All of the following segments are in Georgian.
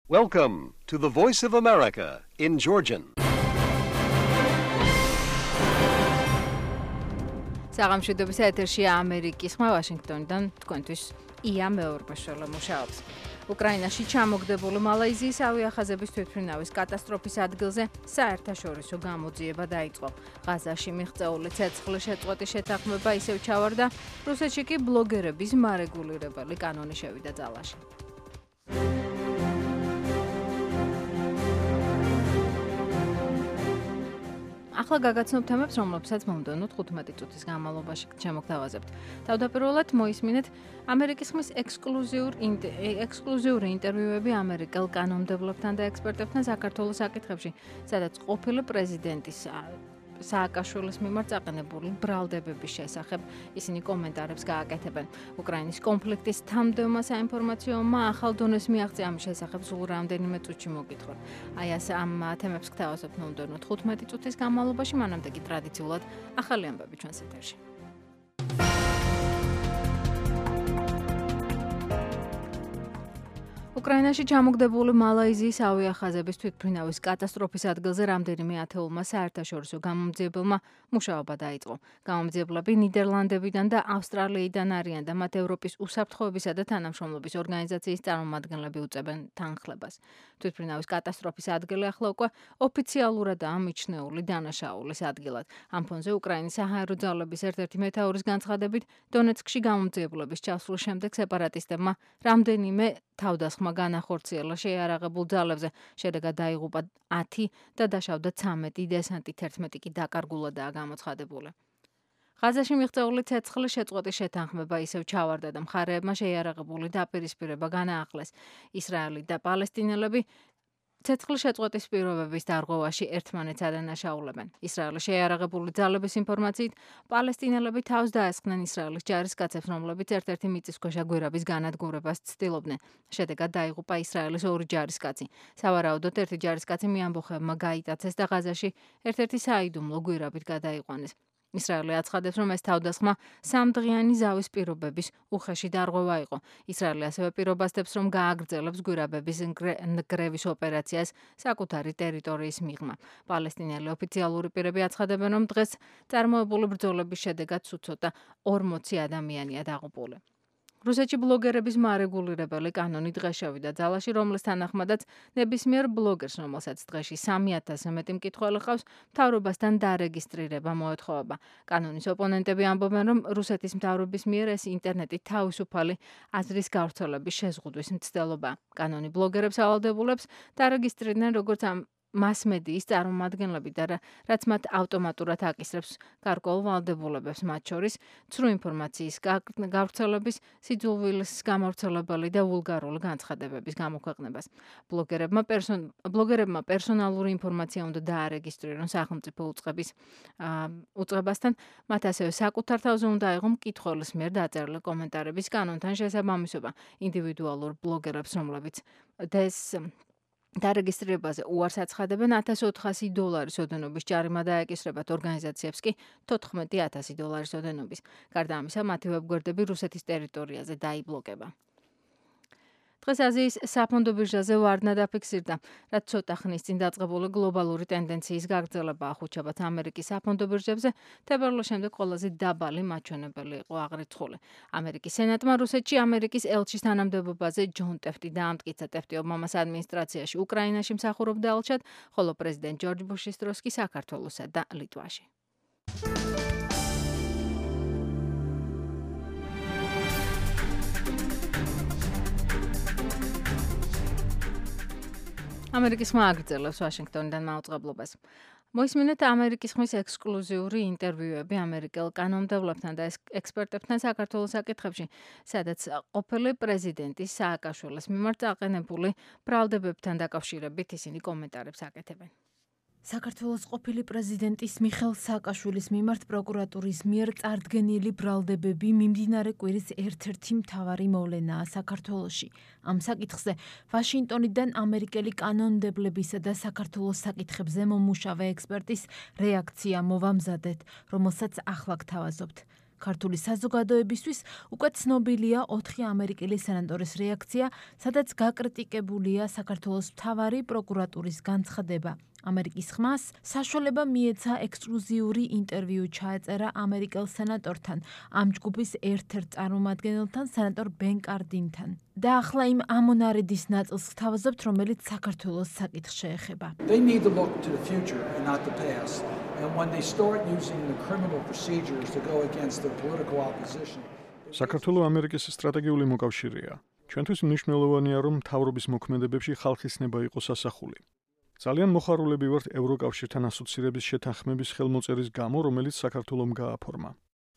Welcome to the Voice of America in Georgian. საღამოშვიდობის ეთერშია ამერიკის ხმა ვაშინგტონიდან თქვენთვის ია მეორბაშოლა მუშაობს. უკრაინაში ჩამოგდებული მალაიზიის ავიახაზების თვითმფრინავის კატასტროფის ადგილზე საერთაშორისო გამოძიება დაიწყო. ღაზაში მიღწეული ცეცხლის შეწყვეტის შეთანხმება ისევ ჩავარდა, რუსეთში კი ბლოგერების მარეგულირებელი კანონი შევიდა ძალაში. ახლა გაგაცნობ თემებს, რომლებსაც მომდევნო 15 წუთის განმავლობაში შემოგთავაზებთ. თავდაპირველად მოისმინეთ ამერიკის ხმის ექსკლუზიური ინტერვიუები ამერიკელ კანონმდებლობთან და ექსპერტებთან საქართველოს საკითხებში, სადაც ყოფილი პრეზიდენტის სააკაშვილის მიმართ წაყენებული ბრალდებების შესახებ ისინი კომენტარებს გააკეთებენ. უკრაინის კონფლიქტის თამდევმა საინფორმაციო ომმა ახალ დონეს მიაღწია ამის შესახებ სულ რამდენიმე წუთში მოგითხრა. აი ასე ამ თემებს გთავაზობთ მომდევნო 15 წუთის განმავლობაში, მანამდე კი ტრადიციულად ახალი ამბები ჩვენს ეთერში. უკრაინაში ჩამოგდებული მალაიზიის ავიახაზების თვითმფრინავის კატასტროფის ადგილზე რამდენიმე ათეულმა საერთაშორისო გამომძიებელმა მუშაობა დაიწყო. გამომძიებლები ნიდერლანდებიდან და ავსტრალიიდან არიან და მათ ევროპის უსაფრთხოებისა და თანამშრომლობის ორგანიზაციის წარმომადგენლები უწევენ თანხლებას. თვითმფრინავის კატასტროფის ადგილი ახლა უკვე ოფიციალურადაა მიჩნეული დანაშაულის ადგილად. ამ ფონზე უკრაინის საჰაერო ძალების ერთ-ერთი მეთაურის განცხადებით, დონეცკში გამომძიებლების ჩასვლის შემდეგ სეპარატისტებმა რამდენიმე თავდასხმა განახორციელა შეიარაღებულ ძალებზე, შედეგად დაიღუპა 10 და დაშავდა 13 დესანტი, 11 კი დაკარგულადაა გამოცხადებული. ღაზაში მიღწეული ცეცხლის შეწყვეტის შეთანხმება ისევ ჩავარდა და მხარეებმა შეიარაღებული დაპირისპირება განაახლეს. ისრაელი და პალესტინელები ცეცხლის შეწყვეტის პირობების დარღვევაში ერთმანეთს ადანაშაულებენ. ისრაელის შეიარაღებული ძალების ინფორმაციით, პალესტინელები თავს დაესხნენ ისრაელის ჯარისკაცებს, რომლებიც ერთ-ერთი მიწისქვეშა გვირაბის განადგურებას ცდილობდნენ. შედეგად დაიღუპა ისრაელის 2 ჯარისკაცი. სავარაუდოდ ერთი ჯარისკაცი მეამბოხებმა გაიტაცეს და ღაზაში ერთ-ერთი საიდუმლო გვირაბით გადაიყვანეს. ისრაელი აცხადებს, რომ ეს თავდასხმა 3 დღიანი ზავის პირობების უხეში დარღვევა იყო. ისრაელი ასევე პირობასდებს, რომ გააგრძელებს გვირაბების ნგრევის ოპერაციას საკუთარი ტერიტორიის მიღმა. პალესტინელი ოფიციალური პირები აცხადებენ, რომ დღეს წარმოებული ბრძოლების შედეგად ცოტა 40 ადამიანია დაღუპული. რუსეთში ბლოგერების მარეგულირებელი კანონი დღეს შევიდა ძალაში, რომლის თანახმადაც ნებისმიერ ბლოგერს, რომელსაც დღეში 3000-ზე მეტი მკითხველი ჰყავს, მთავრობასთან დარეგისტრირება მოეთხოვება. კანონის ოპონენტები ამბობენ, რომ რუსეთის მთავრობის მიერ ეს ინტერნეტით თავისუფალი აზრის გავრცელების შეზღუდვის მცდელობაა. კანონი ბლოგერებს ავალდებულებს დარეგისტრირდნენ როგორც მასმედიის წარმომადგენლები და რაც მათ ავტომატურად აკისრებს გარკვეულ ვალდებულებებს, მათ შორის ცრუ ინფორმაციის გავრცელების, სიძულვილის გამავრცელებელი და ვულგარული განცხადებების გამოქვეყნებას. ბლოგერებმა პერსონალური ინფორმაცია უნდა დაარეგისტრირონ სახელმწიფო უწყებასთან, მათ ასევე საკუთარ თავზე უნდა აიღო მკითხველის მიერ დაწერილი კომენტარების კანონთან შესაბამისობა. ინდივიდუალურ ბლოგერებს, რომლებიც დარეგისტრირებაზე უარს აცხადებენ, $1400 ოდენობის ჯარიმა დაეკისრებათ, ორგანიზაციებს კი $14,000 ოდენობის. გარდა ამისა, მათი ვებგვერდები რუსეთის ტერიტორიაზე დაიბლოკება. დღეს აზიის საფონდო ბირჟაზე ვარდნა დაფიქსირდა, რაც ცოტა ხნის წინ დაწყებული გლობალური ტენდენციის გაგრძელება ახუჩებათ ამერიკის საფონდო ბირჟებზე, თებერვლის შემდეგ ყველაზე დაბალი მაჩვენებელი იყო აღრიცხული. ამერიკის სენატმა რუსეთში ამერიკის ელჩის თანამდებობაზე ჯონ ტეფტი დაამტკიცა. ტეფტი ობამას ადმინისტრაციაში უკრაინაში მსახურობდა ელჩად, ხოლო პრეზიდენტ ჯორჯ ბუშის დროს კი საქართველოსა და ლიტვაში. ამერიკის ხმა აგრძელებს ვაშინგტონიდან მაუწყებლობას. მოისმინეთ ამერიკის ხმის ექსკლუზიური ინტერვიუები ამერიკელ კანონმდებლობთან და ექსპერტებთან საქართველოს საკითხებში, სადაც ყოფილი პრეზიდენტის სააკაშვილის მიმართ წაყენებული ბრალდებებთან დაკავშირებით ისინი კომენტარებს აკეთებენ. საქართველოს ყოფილი პრეზიდენტის მიხეილ სააკაშვილის მიმართ პროკურატურის მიერ წარდგენილი ბრალდებები მიმდინარე კვირის ერთ-ერთი მთავარი მოვლენაა საქართველოში. ამ საკითხზე ვაშინგტონიდან ამერიკელი კანონმდებლებისა და საქართველოს საკითხებზე მომუშავე ექსპერტის რეაქცია მოვამზადეთ, რომელსაც ახლა გთავაზობთ. ქართული საზოგადოებისთვის უკვე ცნობილია 4 ამერიკელი სენატორის რეაქცია, სადაც გაკრიტიკებულია საქართველოს მთავარი პროკურატურის განცხადება. ამერიკის ხმას საშუალება მიეცა ექსკლუზიური ინტერვიუ ჩაეწერა ამერიკელ სენატორთან, ამ ჯგუფის ერთ-ერთ წარმომადგენელთან, სენატორ ბენ კარდინთან. და ახლა იმ ამონარიდის ნაწილს გთავაზობთ, რომელიც საქართველოს საკითხს შეეხება. They need to look to the future and not the past. And when they start using the criminal procedures to go against the political opposition. საქართველოს ამერიკის სტრატეგიული მოკავშირეა. ჩვენთვის მნიშვნელოვანია, რომ მთავრობის მოქმედებებში ხალხის ნება იყოს ასახული. ძალიან მოხარულები ვართ ევროკავშირთან ასოცირების შეთანხმების ხელმოწერის გამო, რომელიც საქართველომ გააფორმა.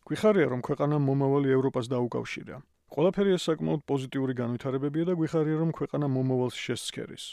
გვიხარია, რომ ქვეყანა მომავალი ევროპას დაუკავშირა. ყველაფერი ეს საკმაოდ პოზიტიური განვითარებებია და გვიხარია, რომ ქვეყანა მომავალს შესცქერის.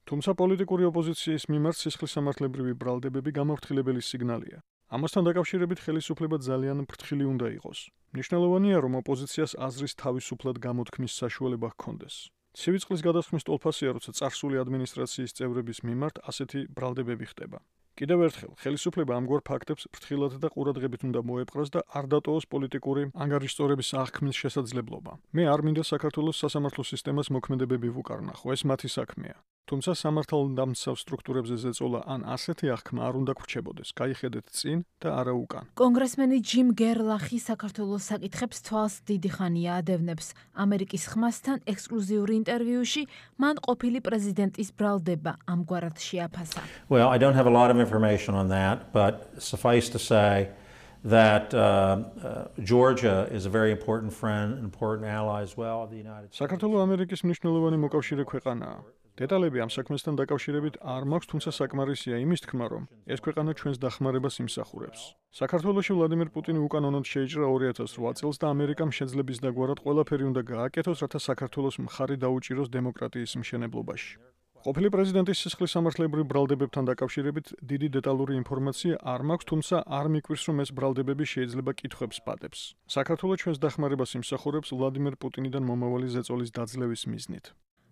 თუმცა პოლიტიკური ოპოზიციის მიმართ სისხლისამართლებრივი ბრალდებები გამაფრთხილებელი სიგნალია. ამასთან დაკავშირებით ხელისუფლება ძალიან ფრთხილი უნდა იყოს. მნიშვნელოვანია, რომ ოპოზიციას აზრის თავისუფლად გამოთქმის საშუალება ჰქონდეს. ცივი წყლის გადასხმის ტოლფასია, როცა წარსული ადმინისტრაციის წევრების მიმართ ასეთი ბრალდებები ხდება. კიდევ ერთხელ, ხელისუფლება ამგვარ ფაქტებს ფრთხილად და ყურადღებით უნდა მოეპყრას და არ დატოვოს პოლიტიკური ანგარიშწორების აღქმის შესაძლებლობა. მე არ მინდა საქართველოს სასამართლო სისტემას მოქმედებები ვუკარნახო, ეს მათი საქმეა. თუმცა სამართალდამცავ სტრუქტურებზე ზეწოლა ან ასეთი აღქმა არ უნდა გრჩებოდეს. გაიხედეთ წინ და არა უკან. კონგრესმენი ჯიმ გერლახი საქართველოს საკითხებს თვალს დიდი ხანია ადევნებს. ამერიკის ხმასთან ექსკლუზიური ინტერვიუში მან ყოფილი პრეზიდენტის ბრალდება ამგვარად შეაფასა. Well, I don't have a lot of information on that, but suffice to say that Georgia is a very important friend and important ally as well of the United States. საქართველოს ამერიკის მნიშვნელოვანი მოკავშირე ქვეყანაა. დეტალები ამ საქმესთან დაკავშირებით არ მაქვს, თუმცა საკმარისია იმის თქმა, რომ ეს ქვეყანა ჩვენს დახმარებას იმსახურებს. საქართველოში ვლადიმერ პუტინი უკანონოდ შეიჭრა 2008 წელს და ამერიკამ შეძლების დაგვარად ყველაფერი უნდა გააკეთოს, რათა საქართველოს მხარი დაუჭიროს დემოკრატიის მშენებლობაში. ყოფილი პრეზიდენტის სისხლისამართლებრივ ბრალდებებთან დაკავშირებით დიდი დეტალური ინფორმაცია არ მაქვს, თუმცა არ მიკვირს, რომ ეს ბრალდებები შეიძლება კითხვებს პატებს. საქართველოს ჩვენს დახმარებას იმსახურებს ვლადიმერ პუტინიდან მომავალი ზეწოლის დაძლევის მიზნით.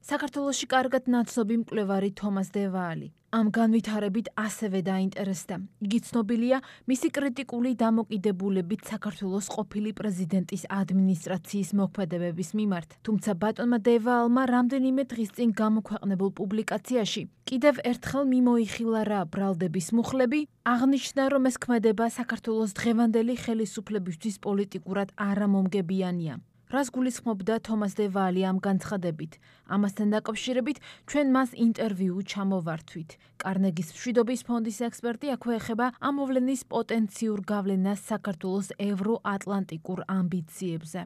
საქართველოში კარგად ნაცნობი მკვლევარი თომას დევალი ამ განვითარებით ასევე დაინტერესდა. იგი ცნობილია მისი კრიტიკული დამოკიდებულებით საქართველოს ყოფილი პრეზიდენტის ადმინისტრაციის მოქმედებების მიმართ. თუმცა ბატონმა დევალმა რამდენიმე დღის წინ გამოქვეყნებულ პუბლიკაციაში კიდევ ერთხელ მიმოიხილა რა ბრალდების მუხლები, აღნიშნა, რომ ეს ქმედება საქართველოს დღევანდელი ხელისუფლებისთვის პოლიტიკურად არამომგებიანია. რას გულისხმობდა თომას დევალი ამ განცხადებით? ამასთან დაკავშირებით ჩვენ მას ინტერვიუ ჩამოვართვით. კარნეგის მშვიდობის ფონდის ექსპერტი აქვე ეხება ამ მოვლენის პოტენციურ გავლენას საქართველოს ევროატლანტიკურ ამბიციებზე.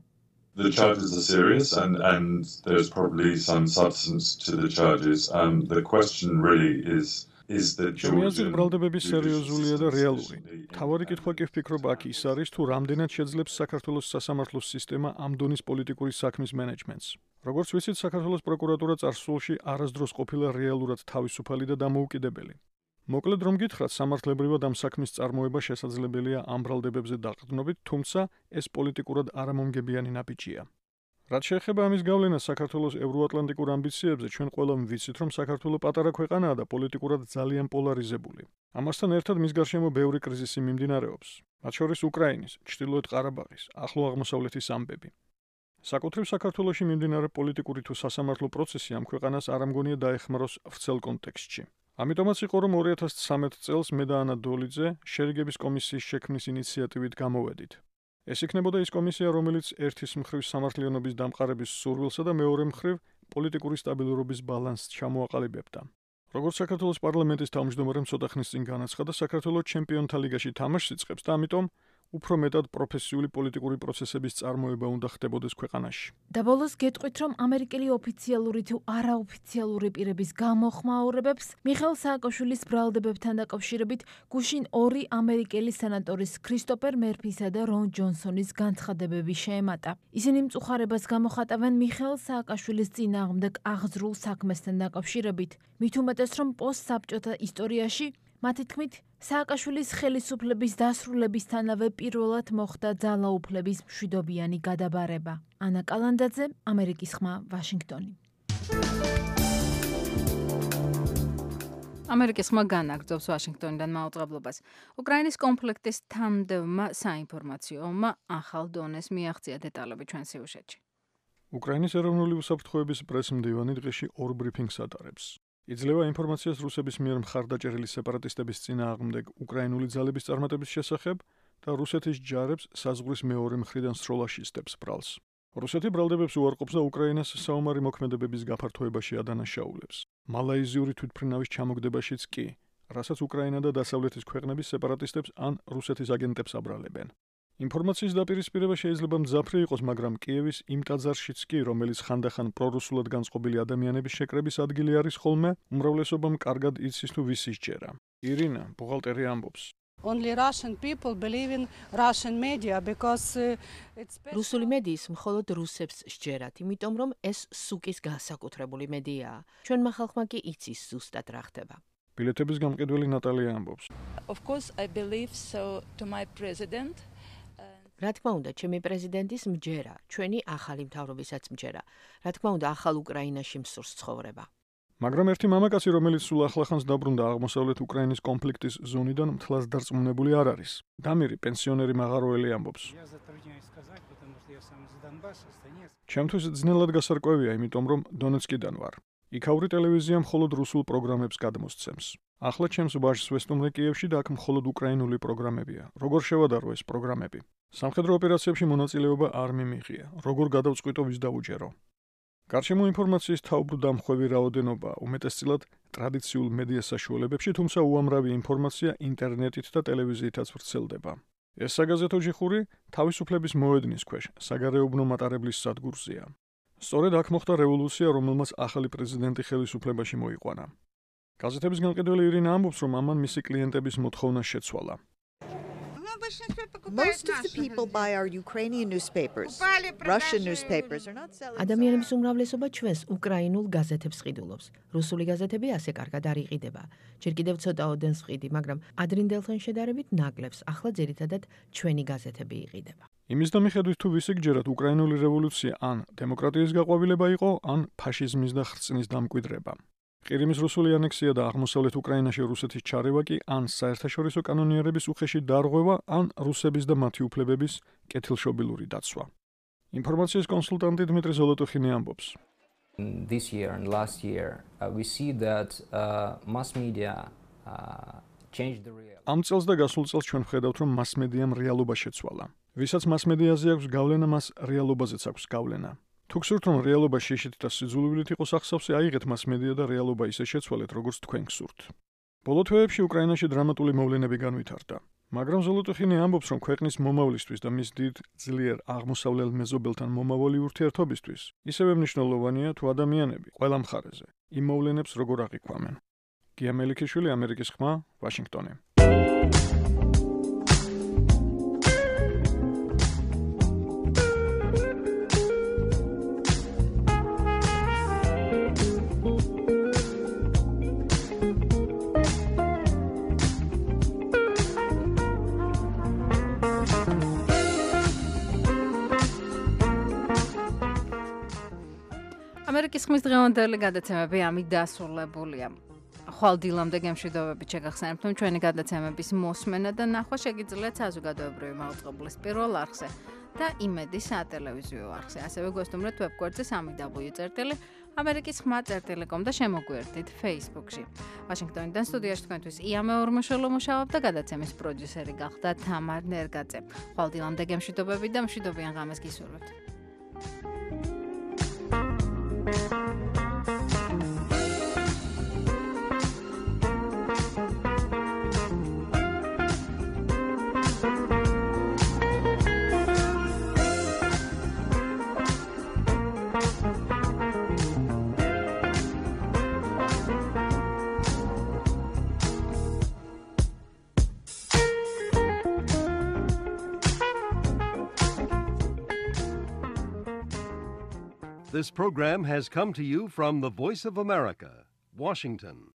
The charges are serious and there's probably some substance to the charges. The question really is that Georgia ბრალდებები სერიოზულია და რეალური. თავარი კითხვა კი ვფიქრობ აქ ის არის, თუ რამდენად შეძლებს საქართველოს სასამართლო სისტემა ამ დონის პოლიტიკური საქმის მენეჯმენტს. როგორც ვიცით, საქართველოს პროკურატურა წარსულში არასდროს ყოფილა რეალურად თავისუფალი და დამოუკიდებელი. მოკლედ რომ გითხრათ, სამართლებრივად ამ საქმის წარმოება შესაძლებელია ამ ბრალდებებზე დაყრდნობით, თუმცა ეს პოლიტიკურად არამომგებიანი ნაბიჯია. რაც შეეხება ამის გავლენას საქართველოს ევროატლანტიკურ ამბიციებზე, ჩვენ ყველამ ვიცით, რომ საქართველო პატარა ქვეყანაა და პოლიტიკურად ძალიან პოლარიზებული. ამასთან ერთად მის გარშემო ბევრი კრიზისი მიმდინარეობს, მათ შორის უკრაინის, ჩრდილოეთ ყარაბაღის, ახლო აღმოსავლეთის ამბები. საკუთრივ საქართველოში მიმდინარე პოლიტიკური თუ სასამართლო პროცესი ამ ქვეყანას არ ამგონია დაეხმაროს ვრცელ კონტექსტში. ამიტომაც იყო, რომ 2013 წელს მე და ანა დოლიძე შერიგების კომისიის შექმნის ინიციატივით გამოვედით. ეს იქნებოდა ის კომისია, რომელიც ერთის მხრივ სამართლიანობის დამყარების სურვილსა და მეორე მხრივ პოლიტიკური სტაბილურობის ბალანსს ჩამოაყალიბებდა. როგორც საქართველოს პარლამენტის თავმჯდომარემ ცოტა ხნის წინ განაცხადა, საქართველოს ჩემპიონთა ლიგაში თამაშს იწყებს და ამიტომ უფრო მეტად პროფესიული პოლიტიკური პროცესების წარმოება უნდა ხდებოდეს ქვეყანაში. და ბოლოს გეტყვით, რომ ამერიკელი ოფიციალური თუ არაოფიციალური პირების გამოხმაურებებს მიხეილ სააკაშვილის ბრალდებებთან დაკავშირებით გუშინ 2 ამერიკელი სენატორის ქრისტოფერ მერფისა და რონ ჯონსონის განცხადებები შეემატა. ისინი მწუხარებას გამოხატავენ მიხეილ სააკაშვილის წინააღმდეგ აღძრულ საქმესთან დაკავშირებით. მით უმეტეს, რომ პოსტსაბჭოთა ისტორიაში მათი თქმით, სააკაშვილის ხელისუფლების დასრულებისთანავე პირველად მოხდა ძალაუფლების მშვიდობიანი გადაბარება. ანა კალანდაძე, ამერიკის ხმა, ვაშინგტონი. ამერიკის ხმა განაგრძობს ვაშინგტონიდან მაუწყებლობას. უკრაინის კონფლიქტის თანმდებმა საინფორმაციო ომმა ახალ დონეს მიაღწია დეტალები ჩვენ სიუჟეტში. უკრაინის ეროვნული უსაფრთხოების პრესმდივანი დღეში 2 ბრიფინგს ატარებს. იძლევა ინფორმაციას რუსების მიერ მხარდაჭერილი სეპარატისტების წინააღმდეგ უკრაინული ძალების წარმატების შესახებ და რუსეთის ჯარებს საზღვრის მეორე მხრიდან სროლაში სტებს ბრალს. რუსეთი ბრალდებებს უარყოფს და უკრაინას საომარი მოქმედებების გაფართოებაში ადანაშაულებს. მალაიზიური თვითმფრინავის ჩამოგდებაშიც კი, რასაც უკრაინა და დასავლეთის ქვეყნების სეპარატისტებს ან რუსეთის აგენტებს აბრალებენ. ინფორმაციის დაპირისპირება შეიძლება მძაფრი იყოს, მაგრამ კიევის იმ ტაძარშიც კი, რომელიც ხანდახან პრორუსულად განწყობილი ადამიანების შეკრების ადგილი არის ხოლმე, უმრავლესობამ კარგად იცის თუ ვის ისჯერა. ირინა, ბუღალტერი ამბობს. Only Russian people believe in Russian media because it's რუსული მედიის მხოლოდ რუსებს სჯერათ, იმიტომ რომ ეს სუკის განსაკუთრებული მედიაა. ჩვენმა ხალხმა კი იცის ზუსტად რა ხდება. ბილეთების გამყიდველი ნატალია ამბობს. Of course I believe so to my president. რა თქმა უნდა, ჩემი პრეზიდენტის მჯერა, ჩვენი ახალი მთავრობისაც მჯერა. რა თქმა უნდა, ახალ უკრაინაში მსურს ცხოვრება. მაგრამ ერთი მამაკაცი, რომელიც სულ ახლახანს დაბრუნდა აღმოსავლეთ უკრაინის კონფლიქტის ზონიდან, მთლას დარწმუნებული არ არის. დამირი პენსიონერი მაღაროელი ამბობს. ჩემთვის ძნელად გასარკვევია, იმიტომ რომ დონეცკიდან ვარ. იქაური ტელევიზია მხოლოდ რუსულ პროგრამებს გადმოსცემს. ახლა ჩემს ვაჟს ვესტუმრე კიევში და აქ მხოლოდ უკრაინული პროგრამებია. როგორ შევადარო ეს პროგრამები? სამხედრო ოპერაციებში მონაწილეობა არ მიმიღია. როგორ გადავწყვიტო ვის დაუჯერო? გარშემო ინფორმაციის თავბრუ დამხვევი რაოდენობა უმეტესწილად ტრადიციულ მედია საშუალებებში, თუმცა უამრავი ინფორმაცია ინტერნეტით და ტელევიზიითაც ვრცელდება. ეს საგაზეთო ჯიხური თავისუფლების მოედნის ქვეშ საგარეუბნო მატარებლის სადგურზეა. სწორედ აქ მოხდა რევოლუცია, რომელმაც ახალი პრეზიდენტი ხელისუფლებაში მოიყვანა. გაზეთების განყიდველი ირინა ამბობს, რომ ამან მისი კლიენტების მოთხოვნა შეცვალა. Most of the people buy our Ukrainian newspapers. Russian newspapers are not selling. ადამიანების უმრავლესობა ჩვენს უკრაინულ გაზეთებს ყიდულობს. რუსული გაზეთები ასე კარგად არ იყიდება. ჯერ კიდევ ცოტა ოდენს ვყიდი, მაგრამ ადრინდელთან შედარებით ნაკლებს. ახლა ძირითადად ჩვენი გაზეთები იყიდება. იმის და მიხედვით თუ ვისი გჯერათ, უკრაინული რევოლუცია ან დემოკრატიის გაყვავილება იყო, ან ფაშიზმის და ხრწნის დამკვიდრება. ყირიმის რუსული ანექსია და აღმოსავლეთ უკრაინაში რუსეთის ჩარევა კი ან საერთაშორისო კანონიერების უხეში დარღვევა, ან რუსების და მათი უფლებების კეთილშობილური დაცვა. ინფორმაციის კონსულტანტი დმიტრი ზოლოტოხინი ამბობს. This year and last year we see that mass media changed the reality. ამ წელს და გასულ წელს ჩვენ ვხედავთ, რომ მასმედიამ რეალობა შეცვალა. ვისაც მასმედიაზე აქვს გავლენა, მას რეალობაზეც აქვს გავლენა. თუ გსურთ, რომ რეალობა შეშით და სიძულვილით იყოს ახსავსე, აიღეთ მასმედია და რეალობა ისე შეცვალეთ, როგორც თქვენ გსურთ. ბოლო თვეებში უკრაინაში დრამატული მოვლენები განვითარდა. მაგრამ ზოლოტოხინი ამბობს, რომ ქვეყნის მომავლისთვის და მის დიდ ძლიერ აღმოსავლელ მეზობელთან მომავალი ურთიერთობისთვის ისევე მნიშვნელოვანია, თუ ადამიანები ყველა მხარეზე იმ მოვლენებს როგორ აღიქვამენ. გია მელიქიშვილი, ამერიკის ხმა, ვაშინგტონი. ამერიკის ხმის დღევანდელი გადაცემები ამით დასრულებულია. ხვალ დილამდე გემშვიდობებით შეგახსენებთ, რომ ჩვენი გადაცემების მოსმენა და ნახვა შეგიძლიათ საზოგადოებრივი მაუწყებლის პირველ არხზე და იმედის სატელევიზიო არხზე. ასევე გვესტუმრეთ ვებგვერდზე www.amerikisxma.com და შემოგვიერთდით Facebook-ში. ვაშინგტონიდან სტუდიაში თქვენთვის ია მეორმოშელო მუშაობდა, გადაცემის პროდიუსერი გახდა თამარ ნერგაძე. ხვალ დილამდე გემშვიდობებით და მშვიდობიან ღამეს გისურვებთ. This program has come to you from the Voice of America, Washington.